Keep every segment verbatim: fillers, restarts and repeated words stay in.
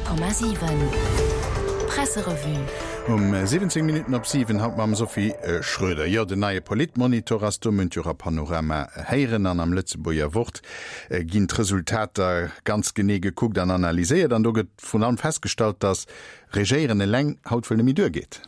Honnert Komma siwen Presserevue. Um siwwenzéng Minutten op siwen haut mam Sophie Schröder. Jo, den neie Politmonitor ass do, mënnt jo a Panorama héieren an am Lëtzebuerger Wort ginn d'Resultater ganz genee gekuckt an analyséiert an do gëtt vrun allem festgestallt, datt Regéieren eleng haut wuel net méi duergeet.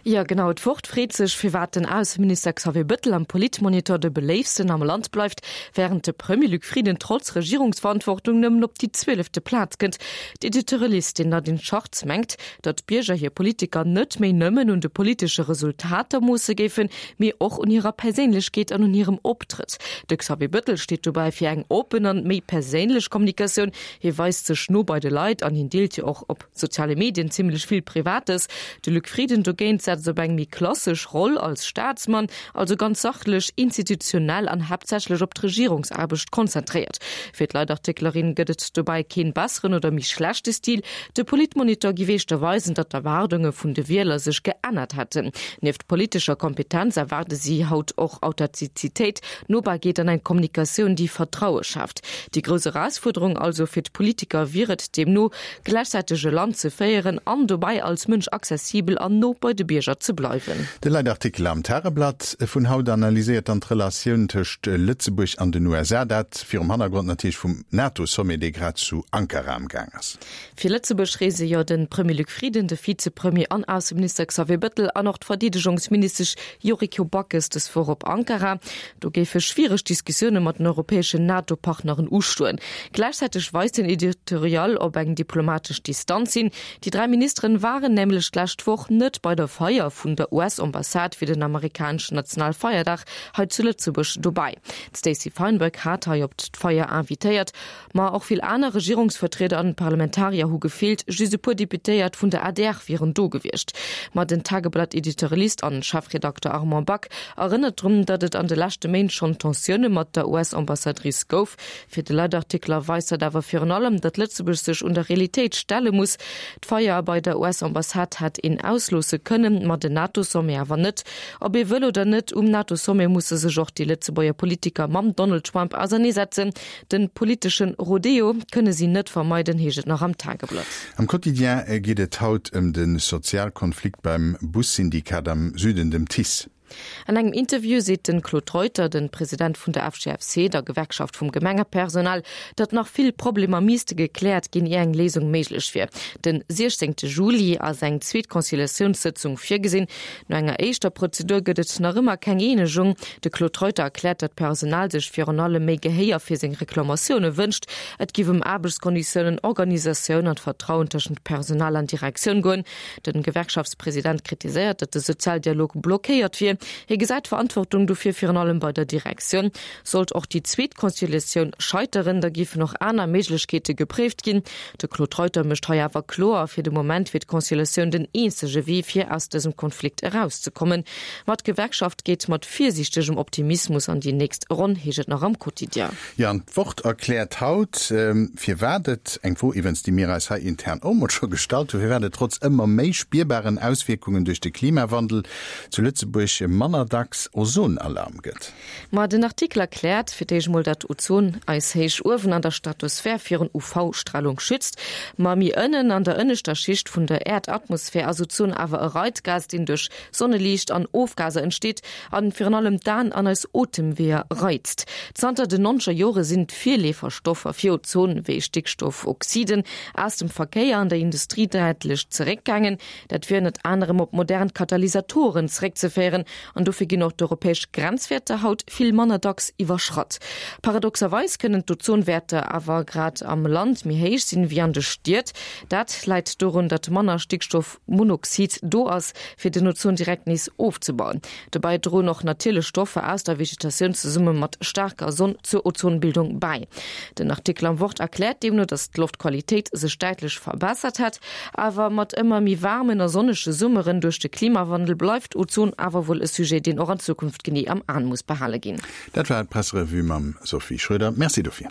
Jo, genau. D'Wort freet sech, firwat den Ausseminister Xavier Bëttel am Politmonitor de beléiftsten am Land bleift, wärend de Premier Luc Frieden trotz Regierungsverantwortung nëmmen op déi zwielefte Plaz kënnt. D'Editorialistin Nadine Schartz mengt, datt d'Bierger hir Politiker net méi nëmmen un de politesche Resultater moosse géifen, mee och un hirer Perséinlechkeet an un hirem Optrëtt. De Xavier Bëttel steet dobäi fir eng oppen an méi perséinlech Kommunikatioun. Hie weist sech no bei de Leit an hien deelt jo och op soziale Medien zimmlech vill Privates. De Luc Frieden dogéint setzt op eng méi klassesch Roll als Staatsmann, also ganz sachlech, institutionell an haaptsächlech op d'Regierungsaarbecht konzentréiert. Fir d'Leitartiklerin gëtt et dobäi keen besseren oder méi schlechte Stil. De Politmonitor giff éischter weisen, datt d'Erwaardunge vun de Wieler sech geännert hätten. Nieft politescher Kompetenz erwaarde si haut och Authentizitéit, Nobarkeet an eng Kommunikatioun, déi Vertraue schaaft. Déi grouss Erausfuerderung also fir d'Politiker wier et deemno, gläichzäiteg e Land ze féieren an dobäi als Mënsch accessibel an no bei de Bierger ze bleiwen. De Leitartikel am Tageblatt vun haut analyséiert dann d'Relatioun tëscht Lëtzebuerg an den U S A, dat virum Hannergrond natierlech vum NATO-Sommet, dee grad zu Ankara am Gaang ass. Fir Lëtzebuerg reese jo de Premier Luc Frieden, de Vizepremier an Ausseminister Xavier Bettel an och d'Verdeedegungsministesch Yuriko Backes dës Woch op Ankara. Do géife schwiereg Diskussioune mat den europäeschen NATO-Partneren ustoen. Gläichzäiteg weist den Editorial op eng diplomatesch Distanz hin. Déi dräi Ministeren waren nämlech d'lescht Woch net bei der Feier vun der U S-Ambassade fir den amerikaneschen Nationalfeierdag hei zu Lëtzebuerg dobäi. D'Stacey Feinberg hat hei op d'Feier invitéiert, ma och vill aner Regierungsvertrieder an Parlamentarier hu gefeelt, just e puer Deputéiert vun der A D R wieren do gewiescht. Ma den Tageblatt-Editorialist an Chefredakter Armand Back erënnert drun, datt et an de leschte Méint schonn Tensioune mat der U S-Ambassadrice gouf. Fir de Leitartikler weist dat awer virun allem, datt Lëtzebuerg sech un der Realitéit stelle muss. D'Feier bei der U S-Ambassade hätt een ausloosse kënnen, ma den NATO-Sommet awer net. Ob ee wëll oder net, um NATO-Sommet musse sech och déi Lëtzebuerger Politiker mam Donald Trump auserneesetzen. Den politeschen Rodeo kënne si net vermeiden, heescht et nach am Tageblatt. Am Quotidien geet et haut ëm de Sozialkonflikt beim Bussyndikat am Süden, dem T I S. An engem Interview seet den Claude Reuter, den President vun der F G F C, der Gewerkschaft vum Gemengepersonal, datt nach vill Problemer misste gekläert ginn, ier eng Léisung méiglech wier. Den siechzehnte Juli ass eng zweet Conciliatiounssëtzung virgesinn. No enger éischter Prozedur gëtt et nach ëmmer keng Eenegung. De Claude Reuter erkläert, datt d'Personal sech virun allem méi Gehéier fir seng Reklamatioune wënscht. Et giff ëm Aarbechtskonditiounen, Organisatioun an d'Vertrauen tëschent Personal an Direktioun goen. Den Gewerkschaftspräsident kritiséiert, datt de Sozialdialog blockéiert wier. Hie gesäit d'Verantwortung dofir virun allem bei der Direktioun. Sollt och déi zweet Conciliatioun scheiteren, da giffen och aner Méiglechkeete gepréift ginn. De Claude Reuter mécht hei awer kloer, fir de Moment wier d'Conciliatioun den eenzege Wee, fir aus dësem Konflikt erauszekommen. Ma d'Gewerkschaft geet mat virsiichtegem Optimismus an déi nächst Ronn, heescht et nach am Quotidien. Jo, an d'Wort erkläert haut, firwat et, eng Fro iwwens, déi mir eis hei intern och mol scho gestallt hunn, firwat et trotz ëmmer méi spierbaren Auswierkungen duerch de Klimawandel zu Lëtzebuerg manner dacks Ozonalarm gëtt. Ma den Artikel erkläert fir d'éischt mol, datt Ozon eis héich uewen an der Stratosphär virun U V-Stralung schützt. Ma méi ënnen an der ënneschter Schicht vun der Erdatmosphär ass Ozon awer e Reizgas, deen duerch Sonneliicht an Ofgaser entsteet an virun allem d'Aen an eis Otemweeër reizt. Zanter den nonzeger Jore sinn d'Virleeferstoffer fir Ozon wéi Stickstoffoxiden aus dem Verkéier an der Industrie däitlech zeréckgaangen. Dat wier ënnert anerem op modern Katalysatoren zeréckzeféieren an dofir ginn och d'europäesch Grenzwäerter haut vill manner dacks iwwerschratt. Paradoxerweis kënnen d'Ozonwäerter awer grad am Land méi héich sinn wéi an de Stied. Dat läit dorun, datt manner Stickstoffmonoxid do ass, fir den Ozon direkt nees ofzebauen. Dobäi droen och natierlech Stoffer aus der Vegetatioun zesumme mat staarker Sonn zur Ozonbildung bäi. Den Artikel am Wort erkläert deemno, datt d'Loftqualitéit sech däitlech verbessert hätt, awer mat ëmmer méi waarmen a sonnege Summeren duerch de Klimawandel bleift Ozon awer wuel e Sujet, deen och an Zukunft genee am Aen muss behale ginn. Dat war d'Presserevue mam Sophie Schröder. Merci dofir.